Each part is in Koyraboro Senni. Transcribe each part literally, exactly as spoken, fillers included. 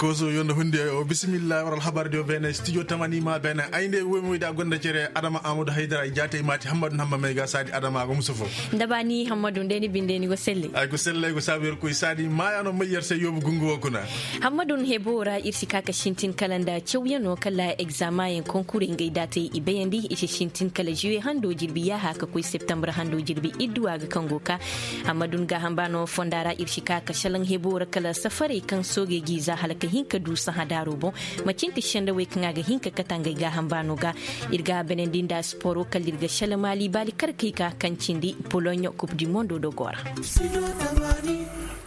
Koso yo nda hundi o bisimilla war alhabar diyo bene studio tamani ma bene ay nde woy moy da gonda cere adama amadu haydara i jaate i maati hammadu hamma may ga saadi adama a go musu fo. Nda ba ni hammadu nde ni binde ni go selle. Ay go selle ay go saabu yer koy saadi maaya no may yer se yoobu gungu wo kuna. Hammadu hebo ra ir si ka ka sintin kala nda cawyano kala egzamayen konkurey ngay daatey i bayandi i si sintin kala juwe hando jirbi yaaha ka koy septembre hando jirbi idduwa ga kaŋ go ka. Amma dun gaaham ba no fonda ra ir si ka ka salaŋ hebo ra kala safarey kaŋ soogey g'i za hala ka hin ka du sahã daaro boŋ. Macinti sendawey kaŋ a ga hin ka kate ngey gaaham ba no ga. Ir ga a banandi nda siporo kala ir ga sala maali baali kar kay ka kaŋ cindi poloɲo kup di mondo dogo ra.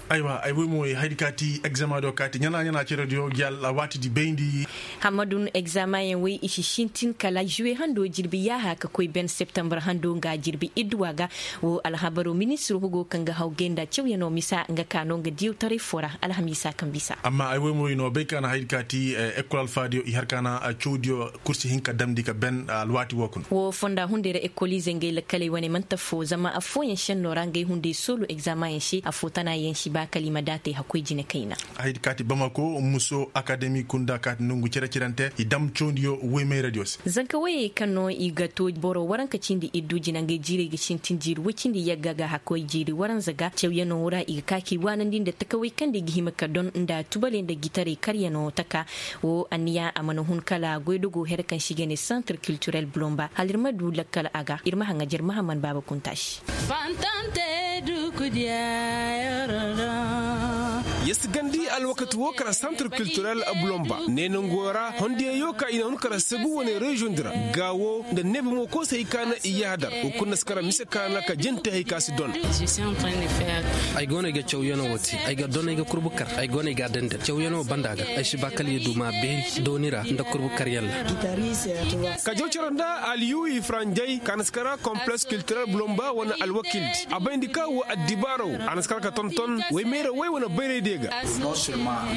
Aywa ay woy mo ay haydi kaati egzama do kaati ɲana ɲana cere diyo gi alwaati di bayndi. Hammadun egzamayaŋ wey i si sintin kala juwe hando jirbi yaaha ka koy ben septembre hando nga jirbi idduwa ga. Wo alhabaro ministir hugo kaŋ ga haw gay nda cawyaŋo misa nga ka no nga diyawtaray fo ra alhamiisa kaŋ bisa. Amma ay woy mo i no bay ka na haydi kaati ekol alfaadiyo i har ka na cawdiyo kursi hinka damndi ka ben alwaati wo kuna. Wo fonda hunday ra ekoliizey ngey lakkaley wane man'ti affoo zama affooyaŋ šennoo ra ngey hunday soolu egzamayaŋ se affoo tanaayaŋ si ba kala i ma daatey hakkoy jine kayna. Haydi kaati bamako muso akademi kunda kaati nongu cere-cerante i dam cawdiyo woy mayradiyo se. Zanka woyey kaŋ no i ga to boro waranka cindi iddu jina ngey jiirey ga sintin jiiri woy cindi yagga ga hakkoy jiiri waranza ga cawyaŋo ra i ga ka k'i waanandi nda takawey kaŋ nda i ga hima ka don nda tubaley nda gitarey karyaŋo taka. Wo anniya a mana hun kala goydogo here kaŋ se i ga ne santre kiltirel bulomba hala ir ma du lakkal a ga ir ma haŋajer mahaman baaba kunta se. Fantante dukudiya. Yasgandi alwakati wo kara santre kiltirel bulomba ne nango ra hondiyayo ka i na hun kara sagu wane reziyoŋ di ra ga wo nda neebe mo koosay ka na i yahadar wo kulu na si kara mise ka na ka jente hay ka si don. Ay go no ay ga cawyaŋo wo te ay ga don ay ga kurbu kar ay go no ay ga a dandi cawyano banda ga ay si ba kala i du ma beeri dooni ra nda kurbu karyaŋ ra. Ka jaw cere nda aliyuwi faranjay ka na si kara kompleks kiltirel bulomba wane alwakildi a bayndi ka wo addibaaraw a na si kara ka tonton woy meera woy wane bayray diyo ga.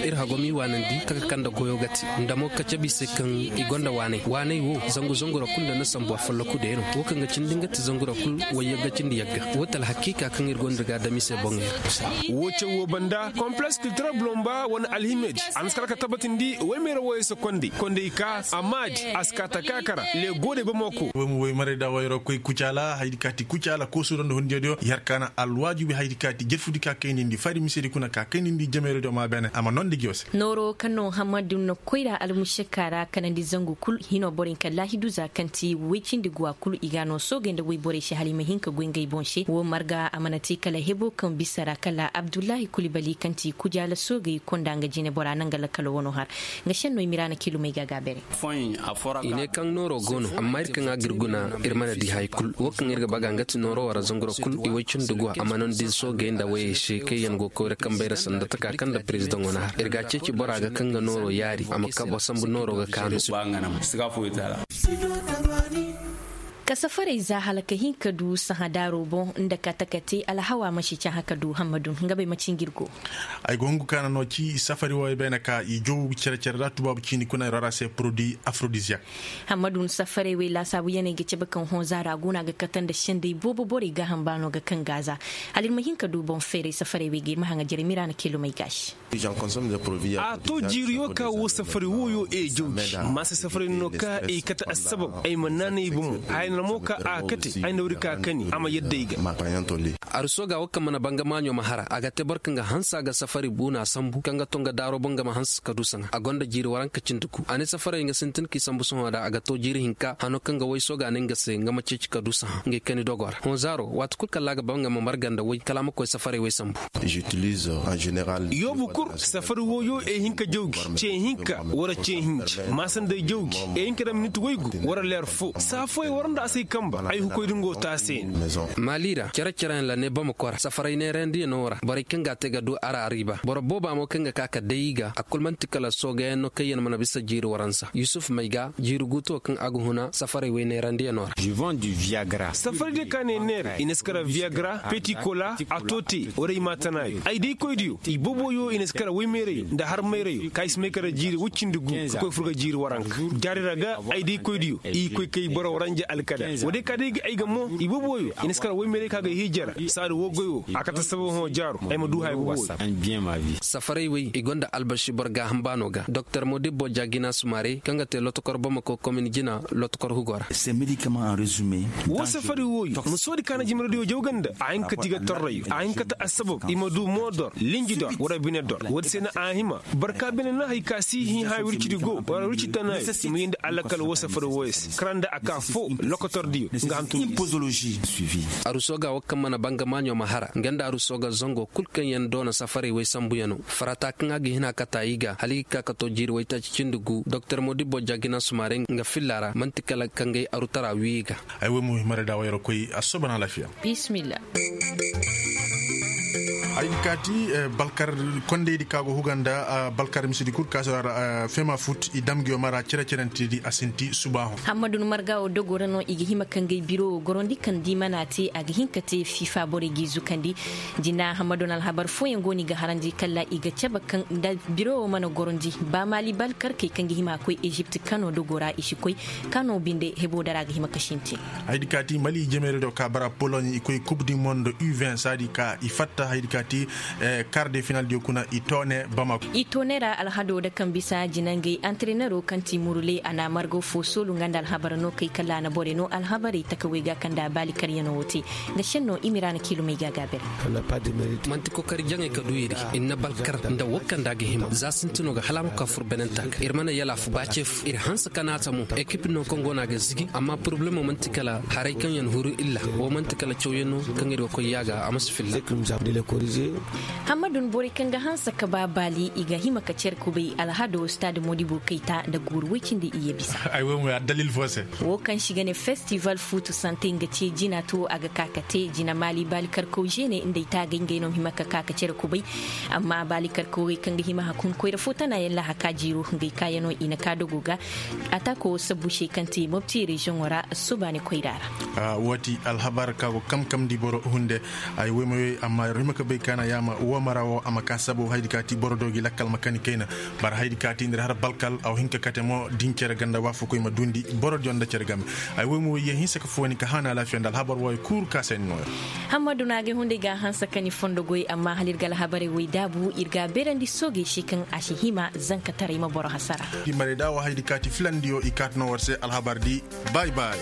Ir hago m'i waanandi ka ka kande goyo ga te nda mo ka cabe i se kaŋ i gonda waanay waanay wo zangu zangu ra kulu nda ni sambu afolloku deeno wo kaŋ ga cindi nga te zangu ra kulu wayyagga cindi yagga wo te alhakiika kaŋ ir gonda ga a dam i se boŋey ra. Wo caw wo banda kompleks kiltirel bulomba wane alhimedi a na si kar ka tabbatindi woy meera woyey se kondey kondey ka amma di a si ka ta ka kara le goodey bamako. Woy ma woy maray da wayro koy kucaala haydi kaati kucaala koosuudo nda hundiyodiyo i har ka na alwaajibi haydi kaati jerfudi ka kaynindi fari misedi kuna ka kaynindi jamayrodiyo ma beene a ma noondi ngiyo se. Nooro kaŋ no hammadu na koyra almušakka ra kanandi zangu kul hino borey kaŋ laahidu za kaŋ ti woy cindi guwa kul i ga a no soogey nda woyborey se hala i ma hin ka goy ngey boŋ se wo marga a mana te kala hebo kaŋ bisa ra kala abdullahi kulibali kaŋ ti kujaala soogey konda nga jinebora naŋ nga lakkalo wano har nga šenno i miraana kilumey ga a ga bere. I ne kaŋ nooro go no amma ir kaŋ a ga ir guna ir mana di hay kul wo kaŋ ir ga baga nga ti nooro wara zanguro kul i woy cindi guwa a mana nda soogey nda woyey se kaŋ yaŋ go koyra kambey ra sanda taka kaŋ nda perezidaŋo na har ir ga a ceeci bora ga kaŋ ga nooro yaari a ma kabo sambu nooro ga kaanu. Ka safarey za hala ka hin ka du sahã daaro boŋ nda ka taka te alhawa ma si cahã ka du hammadun nga bay ma ci ngir go. Ay go hungu kaana no ci safari wo ay bayna ka i jow cere-cere ra tubaabu ciini kuna ay rara se produit aphrodisiaque. Hammadun safarey wey laasaabu yaney ga cabe kaŋ hõ zaara go no a ga kate nda sendey boobo borey gaaham baano ga kaŋ gaaza. Hala ir ma hin ka du boŋ feeray safarey wey ga ir ma haŋa jere miraana kilomey gaasi. A to jiiriyo ka wo safari wooyo e jawji maasa safari no ka e kate assabab ay ma naanay bomo hayna mo ka a kate ay na wari ka kani a ma yadda ay ga. Aruso ga wo kaŋ mana banga maaɲo ma hara a ga te boro kaŋ ga hansa ga safari buuna sambu kaŋ ga to nga daaro boŋ ga ma hansa ka du saŋa a gonda jiiri waranka cindi gu a ne safaray nga sintin k'i sambu sohõ da a ga to jiiri hinka hano kaŋ ga way sooga ne nga se nga ma ceeci ka du saha ngey kani dogo ra hõ zaaro waati kulu kala a ga ba nga ma marga nda way kala a ma koy safaray way sambu. Yoobu kul safari wooyo e hin ka jawgi ce hinka wara ce hinji maasa nda ay jawgi e hin ka daŋ minit waygu wara leer fo saa fooyaŋ war nda a si ay kamba ay hukoy da nga wo te a se. Maali ra cere-cereyaŋ la ne bamako ra safaray neerandiyaŋo ra borey kaŋ ga a te ga du ara ariiba boro booba mo kaŋ ga ka ka day i ga a kul man'ti kala soogayaŋ no kaŋ yaŋ mana bisa jiiri waransa yusuf may ga jiiri guuto kaŋ a ga huna safaray way neerandiyaŋo ra. Safari diyo ka ne neera i na si kara viagra petit cola a to te waray maatanaayo ay daykoydiyo i boboyo i na si kara waymayrayo nda harmayrayo ka i si may kara jiiri woy cindi gu ka koy fur ga jiiri waranka jaari ra ga ay daykoydiyo i ga koy kay boro waranja. Kada wo day ka day ga ay ga mo iboobo wooyo i na si kar woy meeray ka ga hiijara saadu woo goy woo a kate saba hõ jaaro ay ma du haya iboobo wooyo. Safaray wey i gonda albaši boro gaaham baano ga doktor modibbo jaagina sumaarey kaŋ ga te lotokor bamako komin jina lotokor hugo ra. Woo safari wooyo ma soodi kaana jimiradiyo jaw ganda a hin ka ti ga torrayo a hin ka ti assabab i ma du moodor linjidor wara binedor woodi se na a hima barka bine no hari ka si hin haya wircidi go wara wirci tanayo i ma yindi alakal woo safari wooyo se kara nda a ka foo lokotordiyo nga hantum. Aruso ga woo kaŋ mana banga maaɲo ma hara nga nda aruso ga zango kul kaŋ yaŋ doona safaray wey sambuyaŋo farata kaŋ a ga hin a kata i ga hala i ga ka ka to jiiri waytaaci cindi gu doktor modibbo jaagina sumaarey nga filla ra man'ti kala kangay arutara wii ga. Ay wey mo himare da wayra koy a soobana alaafiya. Bismillah. Ay di kaati balkar kondaydi ka go huga nda balkar misidi kul ka si ra fema fut i dam ngiyo mara cere-cerentidi a sinti suba hõ. Hammadu ni marga wo dogo ra no i ga hima ka ngey biro wo gorondi kaŋ di mana te a ga hin ka te fifa borey g'i zukandi. Jina hammadu ni alhabar fooyaŋ go no i ga harandi kala i ga cabe kaŋ nda biro wo mana gorondi ba maali balkarkey kaŋ ga hima koy ezipt kano dogo ra i si koy kano binde hebo dara ga hima ka sintin. Ay di kaati mali jemeere do ka bara poloɲe i koy kub di mondo u vingt saadi ka i fatta hay di kaati kar de final diyo kuna i toone bamako. I toone ra alhado da kaŋ bisa jinangey antrenero kaŋ ti murule a na margo fo soolu nga nda alhabar no kay kala a na borey no alhabarey takawey ga kaŋ da baali karyano wo te. Nga senno i ma i ra na kiilumey ga gaabere. Manti kokari jaŋey ka du iri i na balkar nda wo kaŋ da a ga hima za sintino ga hala a ma ka fur benenta ga iri mana yalaafu ba ce fu iri hanse ka naata mo ekip no kaŋ go no a ga zigi amma poroblemo manti kala haray kaŋ yaŋ huru illa wo manti kala cawyaŋ no kaŋ iri ga koy yaaga a ma si filla. Hammadu ni borey kaŋ ga hanse ka ba baali i ga hima ka care kubay alhado stade modibo kayta nda guuru woy cindi iyye bisa. Ay wo mo ya dalil fo se. Wo kaŋ se i ga ne festival fuutu sante nga ce jina to a ga ka ka te jina maali baali karkaw žene nda ay taagay ngey no hima ka ka ka care kubay. Amma baali karkawey kaŋ ga hima hakun koyra fo tana yaŋ lahaka jiiro ngey kaayaŋo i na ka dogo ga. Atako sabbu se kaŋ te mopti reziyoŋo ra subaani koyra ra. Woo ti alhabar ka go kamkamndi boro hunde. Ay woy ma yoy amma yer hima ka bay kaana yaama woo mara woo a ma ka sabo haydi ka ti boro do gi lakkal ma kani kayna. Bara haydi ka ti nda har balkal a wo hin ka kate mo da hin cere ganda waafakoy ma duundi boro diyo nda cere game. Ay woy ma woy yer hinsa ka fooni ka haana alaafiya nda alhabar wooyo kul ka se ni nooya. Hammadu no a ga hunday ga a hanse ka ni fondo goy amma hala ir ga alhabarey woy daabu ir ga a beerandi soogey se kaŋ a si hima zankataray ma boro hasara. Di marey da wo haydi ka ti filandiyo i kaati no war se alhabar di. Bay bay.